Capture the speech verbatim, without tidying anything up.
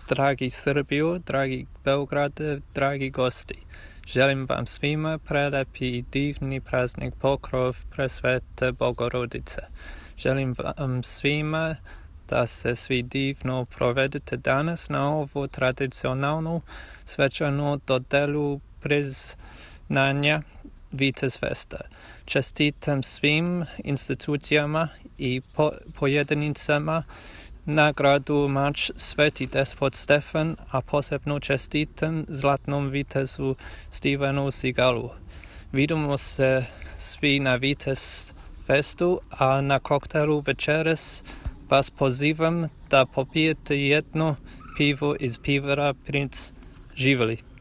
dragi Srbiju, dragi Beograde, dragi gosti. Želim vam svima prelepi i divni praznik Pokrov Presvete Bogorodice. Želim vam svima da se svi divno provedete danas na ovu tradicionalnu svečanu dodelu priznanja Vitezfesta. Čestitam svim institucijama i po, pojedinicama nagradu Mač Sveti Despot Stefan, a posebno čestitam Zlatnom vitezu Stevenu Seagalu. Vidimo se svi na Vitezfestu, a na koktelu večeras vas pozivam da popijete jedno pivo iz pivara Princ. Živjeli!